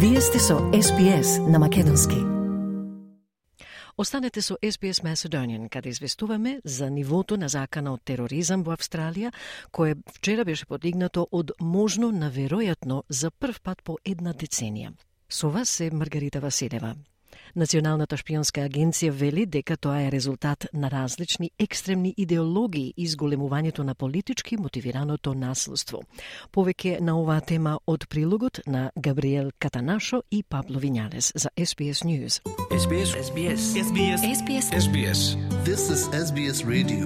Вие сте со SBS на македонски. Останете со SBS Macedonian, каде известуваме за нивото на закана од тероризам во Австралија, кое вчера беше подигнато од можно на веројатно за прв пат по една деценија. Со вас е Маргарита Василева. Националната шпионска агенција вели дека тоа е резултат на различни екстремни идеологии и зголемувањето на политички мотивираното насилство. Повеќе на оваа тема од прилогот на Габриел Катанашо и Пабло Вињалес за SBS News. SBS. This is SBS Radio.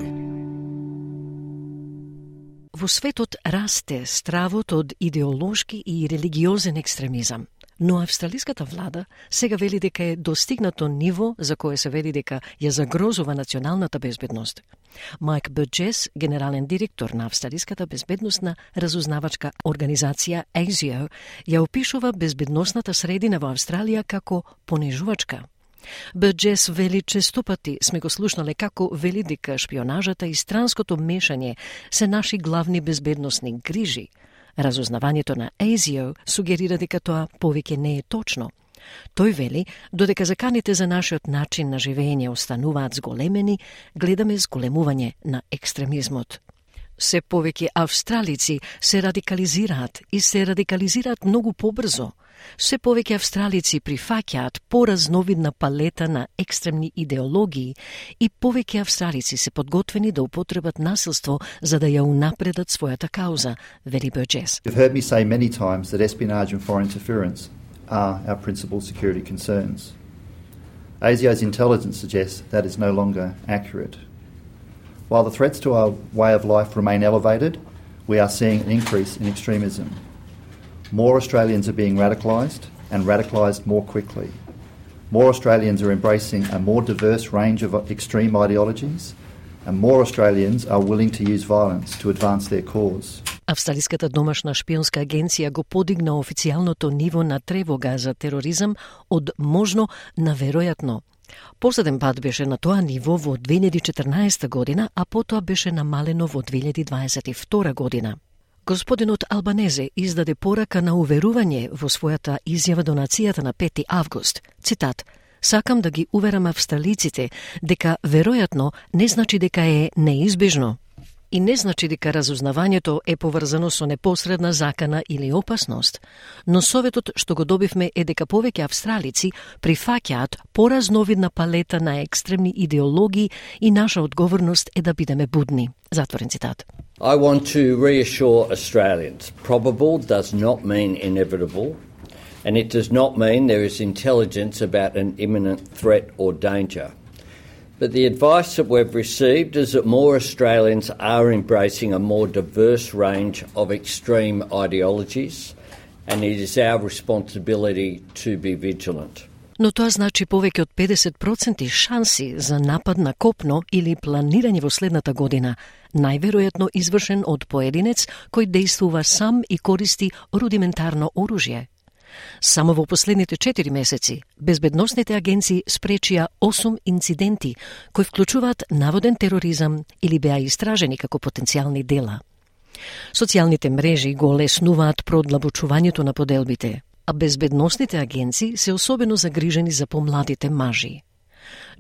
Во светот расте стравот од идеолошки и религиозен екстремизам. Но австралиската влада сега вели дека е достигнато ниво за кое се вели дека ја загрозува националната безбедност. Майк Бурджес, генерален директор на австралиската безбедносна разузнавачка организација ASIO, ја опишува безбедносната средина во Австралија како понижувачка. Бурджес вели честопати сме го слушнале како вели дека шпионажата и странското мешање се наши главни безбедносни грижи. Разузнавањето на ASIO сугерира дека тоа повеќе не е точно. Тој вели, додека заканите за нашиот начин на живење остануваат зголемени, гледаме зголемување на екстремизмот. Се повеќе австралици се радикализираат и се радикализираат многу побрзо. Се повеќе австралици прифаќаат поразновидна палета на екстремни идеологии и повеќе австралици се подготвени да употребат насилство за да ја унапредат својата кауза, вели Бурджес. You've heard me say many times that espionage and foreign interference are our principal security concerns. ASIO's intelligence suggests that is no longer accurate. While the threats to our way of life remain elevated, we are seeing an increase in extremism. More Australians are being radicalised more quickly. More Australians are embracing a more diverse range of extreme ideologies, and more Australians are willing to use violence to advance their cause. Австралиската домашна шпионска агенција го подигна официјалното ниво на тревога за тероризам од можно на веројатно. Последен пат беше на тоа ниво во 2014 година, а потоа беше намалено во 2022 година. Господинот Албанезе издаде порака на уверување во својата изјава до нацијата на 5 август. Цитат: "Сакам да ги уверам австралиците дека веројатно не значи дека е неизбежно и не значи дека разузнавањето е поврзано со непосредна закана или опасност, но советот што го добивме е дека повеќе австралици прифаќаат поразновидна палета на екстремни идеологии и наша одговорност е да бидеме будни." Затворен цитат. I want to reassure Australians, probable does not mean inevitable, and it does not mean there is intelligence about an imminent threat or danger. But the advice that we've received is that more Australians are embracing a more diverse range of extreme ideologies, and it is our responsibility to be vigilant. Но тоа значи повеќе од 50% шанси за напад на копно или планирање во следната година, најверојатно извршен од поединец кој действува сам и користи рудиментарно оружје. Само во последните 4 месеци, безбедносните агенции спречија 8 инциденти кои вклучуваат наводен тероризам или беа истражени како потенцијални дела. Социјалните мрежи го олеснуваат продлабочувањето на поделбите, а безбедносните агенции се особено загрижени за помладите мажи.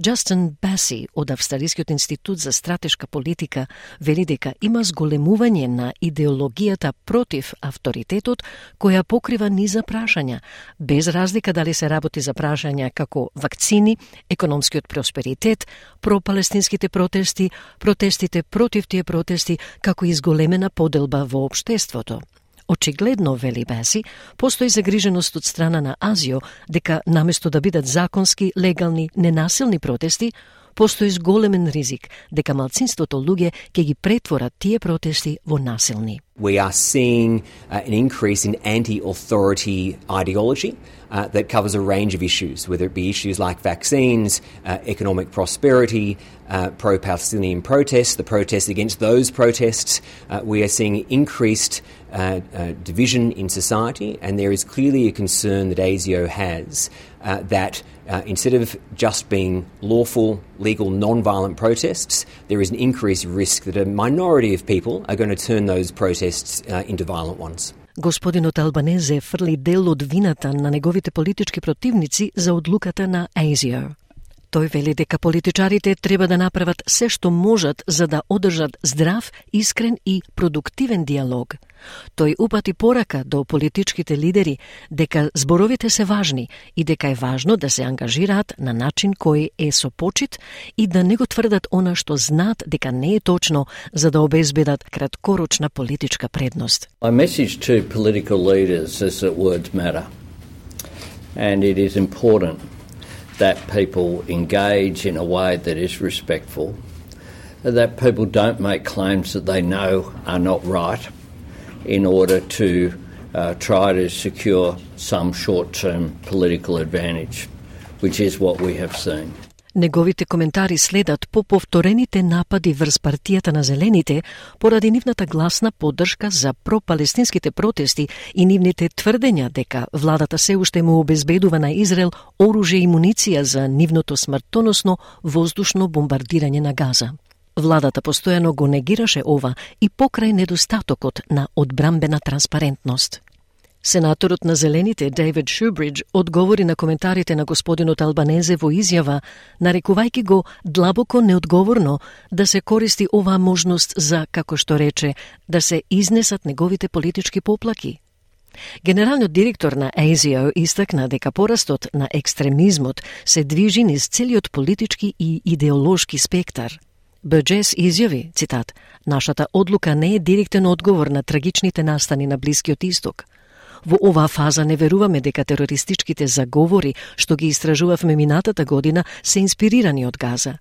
Джастин Баси од Австралискиот институт за стратешка политика вели дека има зголемување на идеологијата против авторитетот која покрива низа прашања, без разлика дали се работи за прашања како вакцини, економскиот просперитет, пропалестинските протести, протестите против тие протести, како и зголемена поделба во општеството. Очигледно, вели Баси, постои загриженост од страна на ASIO дека наместо да бидат законски, легални, ненасилни протести, постои зголемен ризик дека малцинството луѓе ќе ги претворат тие протести во насилни. We are seeing an increase in anti-authority ideology that covers a range of issues, whether it be issues like vaccines, economic prosperity, pro-Palestinian protests, the protests against those protests. We are seeing increased division in society, and there is clearly a concern that ASIO has that instead of just being lawful, legal, non-violent protests, there is an increased risk that a minority of people are going to turn those protests into violent ones. Господинот Албанезе фрли дел од вината на неговите политички противници за одлуката на ASIO. Тој вели дека политичарите треба да направат се што можат за да одржат здрав, искрен и продуктивен диалог. Тој упати порака до политичките лидери дека зборовите се важни и дека е важно да се ангажираат на начин кој е со почит и да не го тврдат она што знаат дека не е точно за да обезбедат краткорочна политичка предност. My message to political leaders is that words matter. And it is important that people engage in a way that is respectful, that people don't make claims that they know are not right in order to try to secure some short-term political advantage, which is what we have seen. Неговите коментари следат по повторените напади врз партијата на Зелените поради нивната гласна поддршка за пропалестинските протести и нивните тврдења дека владата се уште му обезбедува на Израел оружје и муниција за нивното смртоносно воздушно бомбардирање на Газа. Владата постојано го негираше ова и покрај недостатокот на одбрамбена транспарентност. Сенаторот на Зелените Дейвид Шубридж одговори на коментарите на господинот Албанезе во изјава, нарекувајќи го длабоко неодговорно да се користи оваа можност за, како што рече, да се изнесат неговите политички поплаки. Генералниот директор на ASIO истакна дека порастот на екстремизмот се движи низ целиот политички и идеолошки спектар. Бурџес изјави, цитат, "Нашата одлука не е директен одговор на трагичните настани на Блискиот Исток. Во оваа фаза не веруваме дека терористичките заговори што ги истражувавме минатата година се инспирирани од Газа.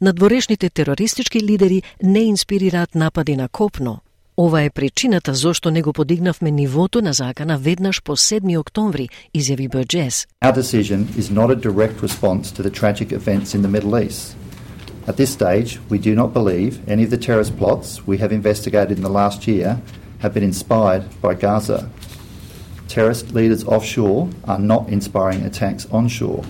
Надворешните терористички лидери не инспирираат напади на копно. Ова е причината зошто не го подигнавме нивото на закана веднаш по 7 октомври, изјави Бурџес. Our decision is not a direct response to the tragic events in the Middle East. At this stage, we do not believe any of the terrorist plots we have investigated in the last year have been inspired by Gaza. Terrorist leaders offshore are not inspiring attacks onshore.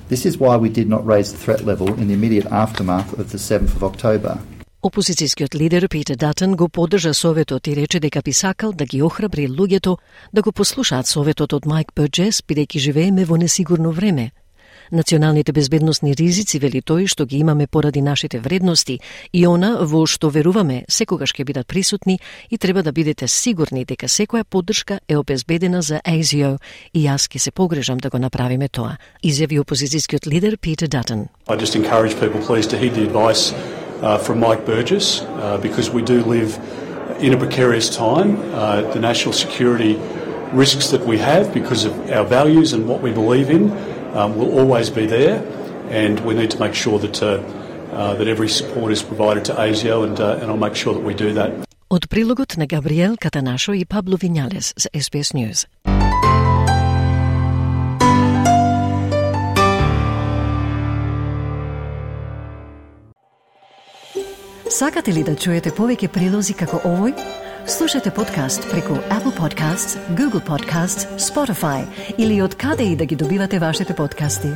This is why we did not raise the threat level in the immediate aftermath of the 7th of October. Опозицијскиот лидер Питер Датон го поддржа советот и рече дека би сакал да ги охрабри луѓето да го послушаат советот од Майк Бурџес, бидејќи живееме во несигурно време. Националните безбедносни ризици, вели тој, што ги имаме поради нашите вредности и она во што веруваме секогаш ќе бидат присутни и треба да бидете сигурни дека секоја поддршка е обезбедена за ASIO и јас ќе се погрежам да го направиме тоа, изјави опозицијскиот лидер Питер Датон. I just encourage people please to heed the advice from Mike Burgess because we do live in a precarious time. The national security risks that we have because of our values and what we believe in will always be there, and we need to make sure that that every support is provided to ASIO, and I'll make sure that we do that. Од прилогот на Габриел Катанашо и Пабло Вињалес за SBS News. Сакате ли да чуете повеќе прилози како овој? Слушате подкаст преку Apple Podcasts, Google Podcasts, Spotify или од каде и да ги добивате вашите подкасти.